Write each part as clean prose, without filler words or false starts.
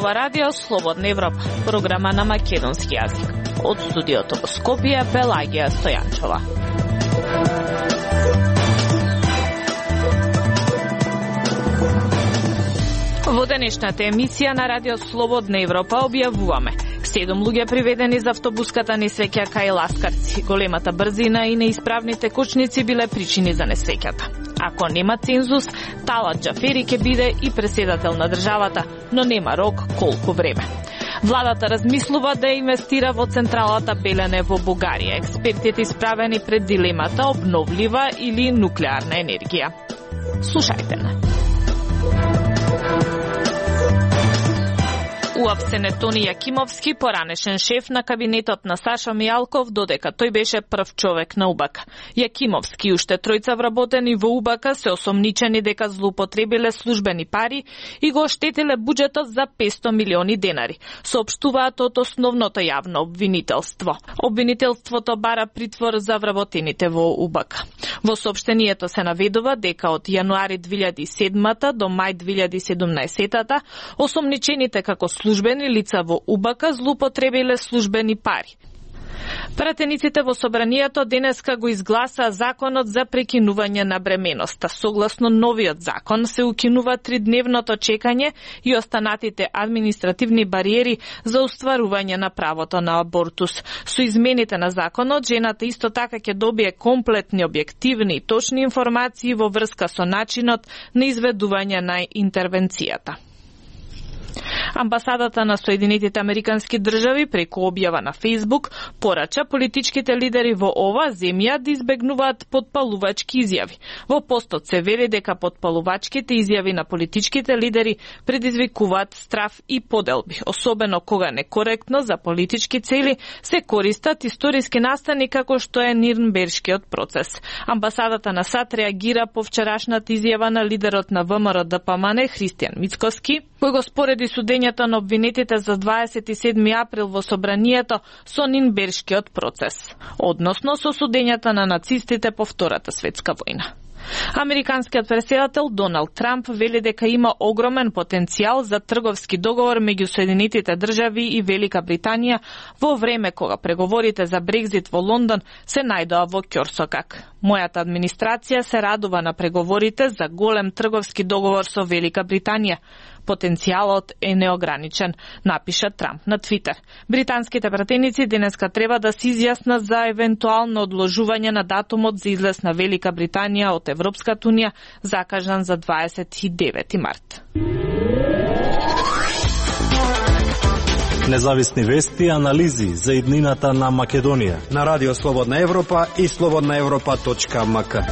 ова радио Слободна Европа, програма на македонски јазик. Од студиото во Скопје, Пелагија Стојанчова. Во денешната емисија на радио Слободна Европа објавуваме 7 луѓе приведени за автобуската несреќа кај Ласкарци. Големата брзина и неисправните кочници биле причини за несреќата. Ако нема цензус, Талат Џафери ќе биде и преседател на државата, но нема рок колку време. Владата размислува да инвестира во централата Белене во Бугарија. Експертите исправени пред дилемата обновлива или нуклеарна енергија. Слушајте на. Уапсен е Тони Јакимовски, поранешен шеф на кабинетот на Саша Мијалков, додека тој беше прв човек на УБК. Јакимовски и уште тројца вработени во УБК се осомничени дека злоупотребиле службени пари и го оштетиле буџетот за 500 милиони денари, соопштуваат од основното јавно обвинителство. Обвинителството бара притвор за вработените во УБК. Во соопштението се наведува дека од јануари 2007 до мај 2017 осомничените како службени лица во УБК злоупотребиле службени пари. Пратениците во собранието денеска го изгласаа законот за прекинување на бременоста. Согласно новиот закон се укинува 3-дневното чекање и останатите административни бариери за остварување на правото на абортус. Со измените на законот, жената исто така ќе добие комплетни, објективни и точни информации во врска со начинот на изведување на интервенцијата. Амбасадата на Соединетите Американски држави преку објава на Facebook порача политичките лидери во оваа земја да избегнуваат потпалувачки изјави. Во постот се вели дека потпалувачките изјави на политичките лидери предизвикуваат страф и поделби, особено кога некоректно за политички цели се користат историски настани како што е Нирнбергскиот процес. Амбасадата на САД реагира по вчерашната изјава на лидерот на ВМРО-ДПМН Христијан Мицкоски, кој го спореди судењето на обвинетите за 27 април во собранието со Нирнбергскиот процес, односно со судењата на нацистите по Втората светска војна. Американскиот претседател Доналд Трамп вели дека има огромен потенцијал за трговски договор меѓу Соединетите држави и Велика Британија во време кога преговорите за Брекзит во Лондон се најдоа во ќорсокак. Мојата администрација се радува на преговорите за голем трговски договор со Велика Британија. Потенцијалот е неограничен, напиша Трамп на Твитер. Британските пратеници денеска треба да се изјаснат за евентуално одложување на датумот за излез на Велика Британија од Европската унија, закажан за 29 март. Независни вести и анализи за иднината на Македонија на Радио Слободна Европа и slobodnaevropa.mk.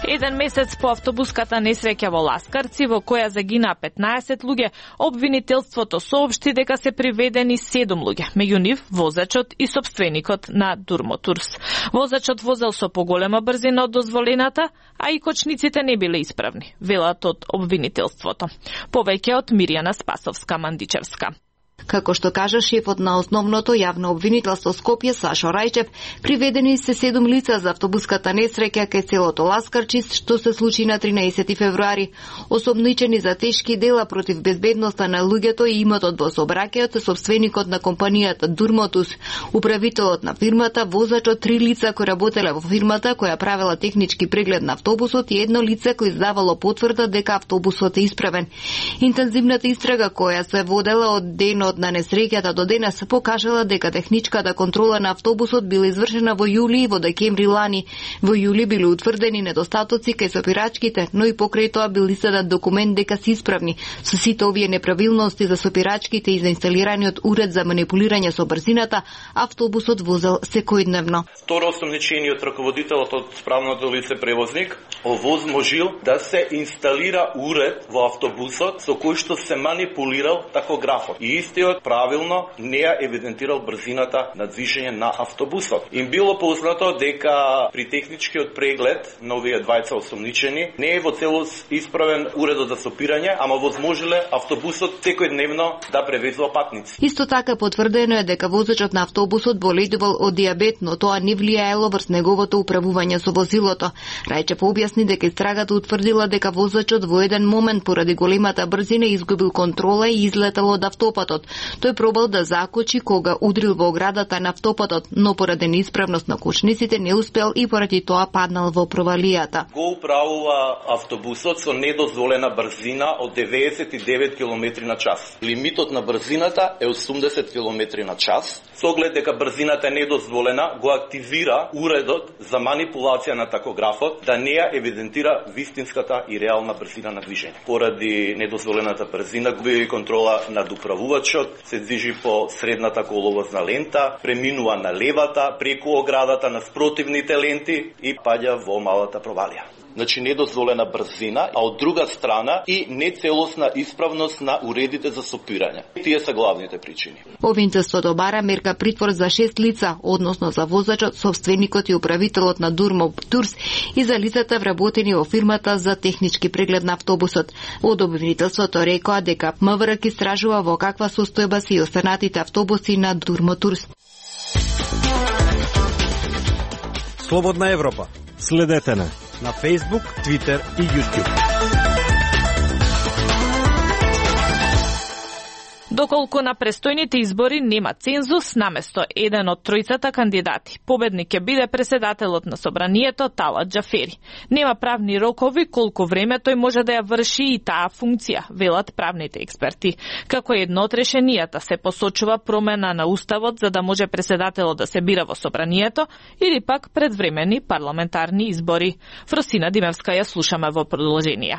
Еден месец по автобуската несреќа во Ласкарци, во која загинаа 15 луѓе, обвинителството соопшти дека се приведени 7 луѓе, меѓу нив возачот и сопственикот на Дурмотурс. Возачот возел со поголема брзина од дозволената, а и кочниците не биле исправни, велат од обвинителството. Повеќе од Мирјана Спасовска-Мандичевска. Како што кажа шефот на основното јавно обвинителство Скопје Сашо Рајчев, приведени се 7 лица за автобуската несреќа кај селото Ласкарчи, што се случи на 13 февруари. Осомничени за тешки дела против безбедноста на луѓето и имотот во сообраќајот, сопственикот на компанијата Дурмотус, управителот на фирмата, возачот, 3 лица кои работеле во фирмата која правела технички преглед на автобусот и едно лице кој издавало потврда дека автобусот е исправен. Интензивната истрага која се водела од денот на несреќата до денес покажала дека техничката контрола на автобусот била извршена во јули и во декември лани. Во јули биле утврдени недостатоци кај сопирачките, но и покрај тоа бил издаден документ дека се исправни. Со сите овие неправилности за сопирачките и за инсталираниот уред за манипулирање со брзината, автобусот возел секојдневно. Второ осомничениот раководителот од справното лице превозник овозможил да се инсталира уред во автобусот со кој што се манипулирал такографот. И истиот правилно не ја евидентирал брзината на движење на автобусот. Им било познато дека при техничкиот преглед на овие двајца осомничени не е во целост исправен уредот за сопирање, ама возможеле автобусот секојдневно да превезува патници. Исто така потврдено е дека возачот на автобусот боледувал од диабет, но тоа не влијаело врз неговото управување со возилото. Рајчев објасни дека истрагата утврдила дека возачот во еден момент поради големата брзина изгубил контрола и излетал од автопатот. Тој пробал да закочи кога удрил во оградата на автопатот, но поради неисправност на кочниците не успел и поради тоа паднал во провалијата. Го управува автобусот со недозволена брзина од 99 км на час. Лимитот на брзината е 80 км на час. Со оглед дека брзината е недозволена, го активира уредот за манипулација на такографот да не ја евидентира вистинската и реална брзина на движење. Поради недозволената брзина губи контрола над управувачот, се движи по средната коловозна лента, преминува на левата, преку оградата на спротивните ленти и паѓа во малата провалија. Значи недозволена брзина, а од друга страна и нецелосна исправност на уредите за сопирање. Тие се главните причини. Обвинителството бара мерка притвор за 6 лица, односно за возачот, собственикот и управителот на Durmop Tours и за лицата вработени во фирмата за технички преглед на автобусот. Од обвинителството рекоа дека МВР ќе истражува во каква состојба се и останатите автобуси на Durmop Tours. Слободна Европа. Следете не На Facebook, Twitter и YouTube. Доколку на престојните избори нема цензус, наместо еден од тројцата кандидати, победник ќе биде председателот на собранието Талат Џафери. Нема правни рокови колку време тој може да ја врши и таа функција, велат правните експерти. Како едно од решенијата се посочува промена на уставот за да може председателот да се бира во собранието или пак предвремени парламентарни избори. Фросина Димевска ја слушаме во продолжение.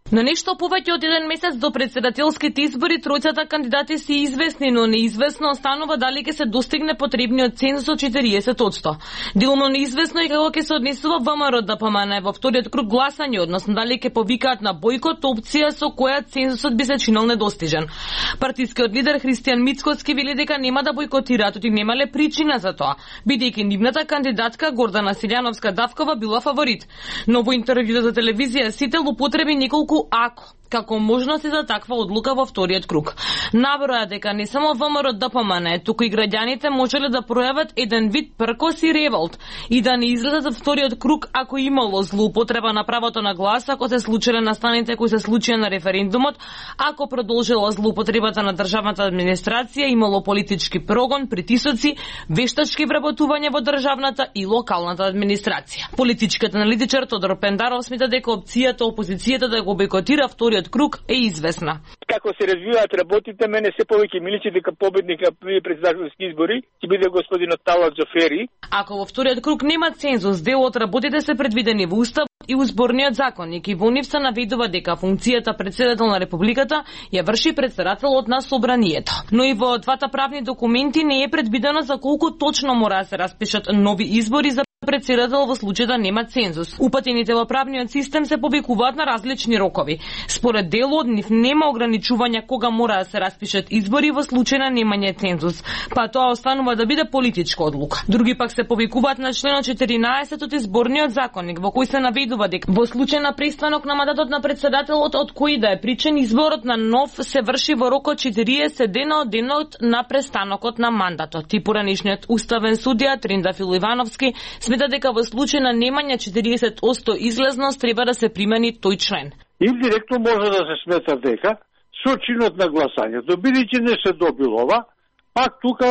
На нешто повеќе од еден месец до председателските избори тројцата кандидати се известни, но неизвестно останува дали ќе се достигне потребниот цензус од 40%. Делно неизвестно е како ќе се однесува ВМРО ДПМН во вториот круг гласање, односно дали ќе повикаат на бојкот, опција со која цензусот би се чинел недостижен. Партискиот лидер Христијан Мицкоски вели дека нема да бојкотираат, оти немале причина за тоа, бидејќи нивната кандидатка Гордана Силјановска-Давкова била фаворит. Но во интервју за телевизија Сител употреби неколку ако како можности за таква одлука во вториот круг. Наброја дека не само ВМРО ДПМН, туку и граѓаните можеле да пројават еден вид пркос и револт и да не излезат за вториот круг ако имало злоупотреба на правото на глас, ако се случиле настаните кои се случија на референдумот, ако продолжила злоупотребата на државната администрација, имало политички прогон, притисоци, вештачки вработување во државната и локалната администрација. Политичкиот аналитичар Тодор Пендаров смета дека опцијата опозицијата да го бойкотира вториот круг е известна. Како се развиваат работите, мене се повеќе миличи дека победник на председателски избори ќе биде господинот Талат Џафери. Ако во вториот круг нема цензус, дел од работите се предвидени во Устав и Изборниот законник и во нив се наведува дека функцијата председател на Републиката ја врши председателот на Собранието. Но и во двата правни документи не е предвидено за колку точно мора да се распишат нови избори за председател во случај да нема цензус. Упатените во правниот систем се повикуваат на различни рокови. Според дел од нив нема ограничување кога мора да се распишат избори во случај на немање цензус, па тоа останува да биде политичка одлука. Други пак се повикуваат на членот 14 од Изборниот законник, во кој се наведува дека во случај на престанок на мандатот на председателот од кој да е причен, изборот на нов се врши во рок од 40 дена од денот на престанокот на мандатот. И поранешниот уставен судија Триндафил Ивановски смета дека во случај на немање 40% излезност треба да се примени тој член. Индиректно може да се смета дека со чинот на гласањето, бидејќи не се добил ова, пак тука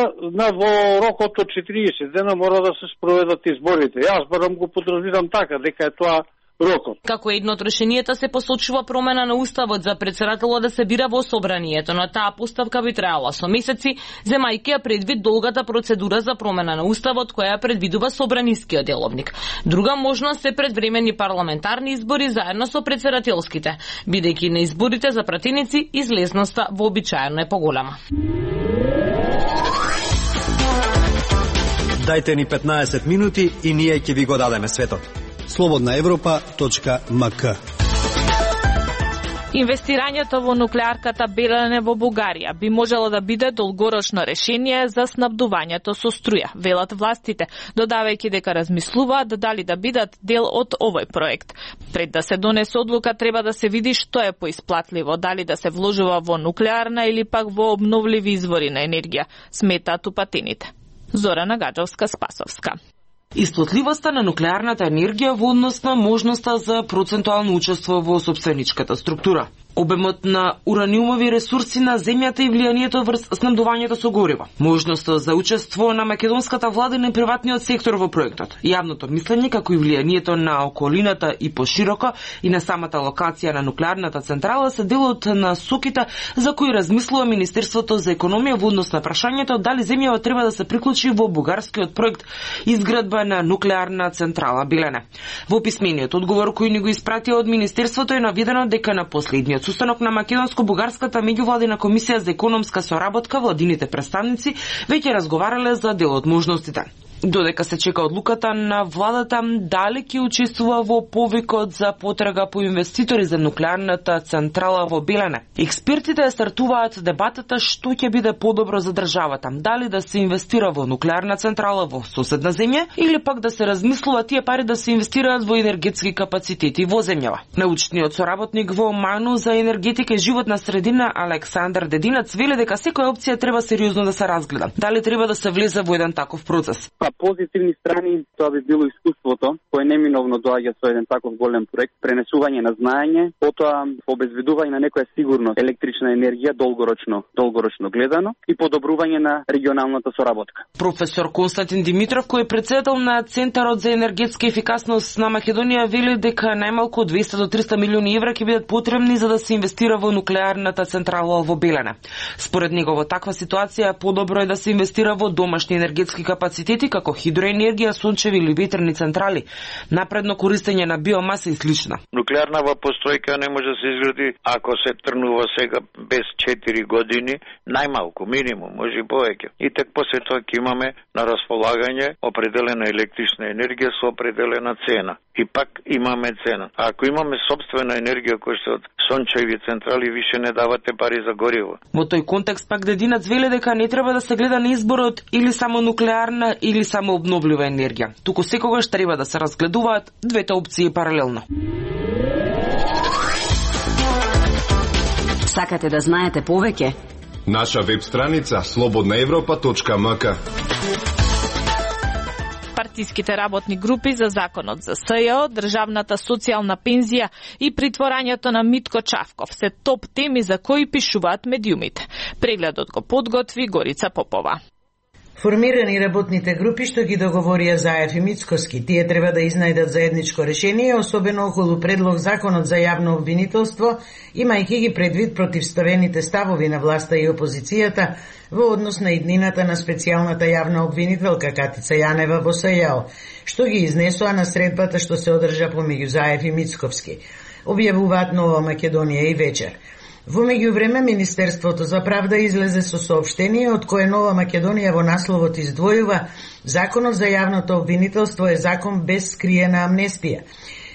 во рокот од 40 дена мора да се спроведат изборите. Јас барам го подразбирам така, дека е тоа рокот. Како едно од решенијата се посочува промена на уставот за председателот да се бира во собранието, но таа поставка би траела со месеци, земајќи ја предвид долгата процедура за промена на уставот која предвидува собранискиот деловник. Друга можност се предвремени парламентарни избори заедно со председателските, бидејќи на изборите за пратеници излезноста вообичаено е поголема. Дајте ни 15 минути и ние ќе ви го дадеме светот. Слободна Европа.мк Инвестирањето во нуклеарката Белене во Бугарија би можело да биде долгорочно решение за снабдувањето со струја, велат властите, додавајќи дека размислуваат дали да бидат дел од овој проект. Пред да се донесе одлука треба да се види што е поисплатливо, дали да се вложува во нуклеарна или пак во обновливи извори на енергија, сметаат упатените. Зорана Гаджовска-Спасовска. Исплатливоста на нуклеарната енергија во однос на можноста за процентуално учество во сопственичката структура. Обемот на ураниумови ресурси на земјата и влијанието врз снабдувањето со гориво. Можноста за учество на македонската влада и на приватниот сектор во проектот. Јавното мислење како и влијанието на околината и пошироко и на самата локација на нуклеарната централа се дел од насоките за кои размислува Министерството за економија во однос на прашањето дали земјава треба да се приклучи во бугарскиот проект изградба на нуклеарна централа Белене. Во писмениот одговор кој ни го испратија од Министерството е наведено дека на последниот состанок на македонско-бугарската меѓувладина комисија за економска соработка владините представници веќе разговарале за дел од можностите. Додека се чека одлуката на владата дали ќе учествува во повикот за потрага по инвеститори за нуклеарната централа во Белене. Експертите стартуваат дебатата што ќе биде подобро за државата, дали да се инвестира во нуклеарна централа во соседна земја или пак да се размислува тие пари да се инвестираат во енергетски капацитети во земјава. Научниот соработник во МАНУ за енергетика и животна средина Александар Дединац вели дека секоја опција треба сериозно да се разгледа. Дали треба да се влезе во еден таков процес? Позитивни страни, тоа би било искуството, кое неминовно доаѓа со еден таков голем проект, пренесување на знаење, потоа обезбедување на некоја сигурност електрична енергија долгорочно гледано и подобрување на регионалната соработка. Професор Константин Димитров, кој е председател на Центарот за енергетска ефикасност на Македонија, вели дека најмалку 200 до 300 милиони евра ќе бидат потребни за да се инвестира во нуклеарната централа во Белене. Според него во таква ситуација подобро е да се инвестира во домашни енергетски капацитети како хидроенергија, сончеви или ветерни централи, напредно користење на биомаса и слично. Нуклеарна постојка не може да се изгради ако се трнува сега без 4 години, најмалку, минимум, може и повеќе. И тек после тоа ќе имаме на располагање определена електрична енергија со определена цена. И пак имаме цена. А ако имаме собствена енергија која што од сончеви централи више не давате пари за гориво. Во тој контекст пак Дединац вели дека не треба да се гледа на изборот или само нуклеарна или само обновлива енергија. Туку секогаш треба да се разгледуваат двете опции паралелно. Сакате да знаете повеќе? Наша веб страница slobodnaevropa.mk. Партиските работни групи за законот за СЈО, државната социјална пензија и притворањето на Митко Чавков се топ теми за кои пишуваат медиумите. Прегледот го подготви Горица Попова. Формирани работните групи што ги договорија Заев и Мицкоски, тие треба да изнајдат заедничко решение, особено околу предлог законот за јавно обвинителство, имајќи ги предвид противставените ставови на власта и опозицијата во однос на иднината на специјалната јавна обвинителка Катица Јанева во СЈО, што ги изнесоа на средбата што се одржа помеѓу Заев и Мицковски. Објавуваат Нова Македонија и вечер. Во меѓувреме, Министерството за правда излезе со соопштение од кое Нова Македонија во насловот издвојува Законот за јавното обвинителство е закон без скриена амнестија.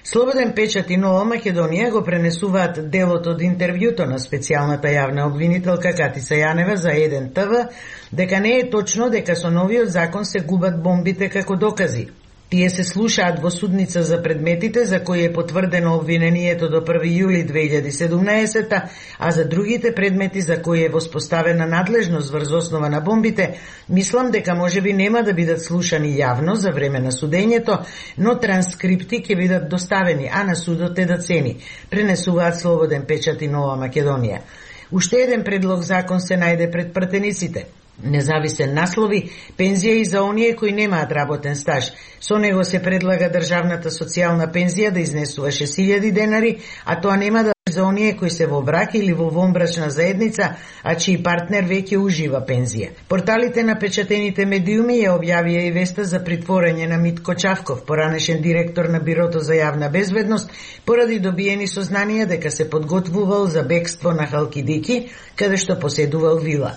Слободен печат и Нова Македонија го пренесуваат делот од интервјуто на специјалната јавна обвинителка Катица Јанева за 1 ТВ, дека не е точно дека со новиот закон се губат бомбите како докази. Тие се слушаат во судница за предметите за кои е потврдено обвинението до 1 јули 2017, а за другите предмети за кои е воспоставена надлежност врз основа на бомбите, мислам дека можеби нема да бидат слушани јавно за време на судењето, но транскрипти ќе бидат доставени, а на судот е да цени, пренесуваат Слободен печат и Нова Македонија. Уште еден предлог закон се најде пред пратениците. Независен наслови, пензија и за оние кои немаат работен стаж. Со него се предлага државната социјална пензија да изнесува 6000 денари, а тоа нема да за оние кои се во брак или во вонбрачна заедница, а чиј партнер веќе ужива пензија. Порталите на печатените медиуми ја објавија и веста за притворање на Митко Чавков, поранешен директор на Бирото за јавна безбедност, поради добиени сознанија дека се подготвувал за бегство на Халкидики, каде што поседувал вила.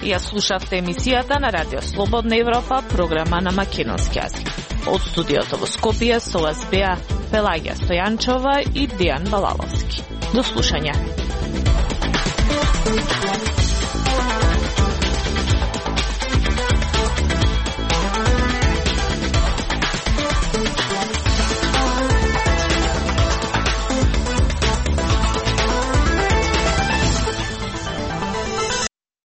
Ја слушавте емисијата на Радио Слободна Европа, програма на македонски јазик. Од студиото во Скопје со вас беа Пелагија Стојанчова и Дејан Балаловски. До слушање.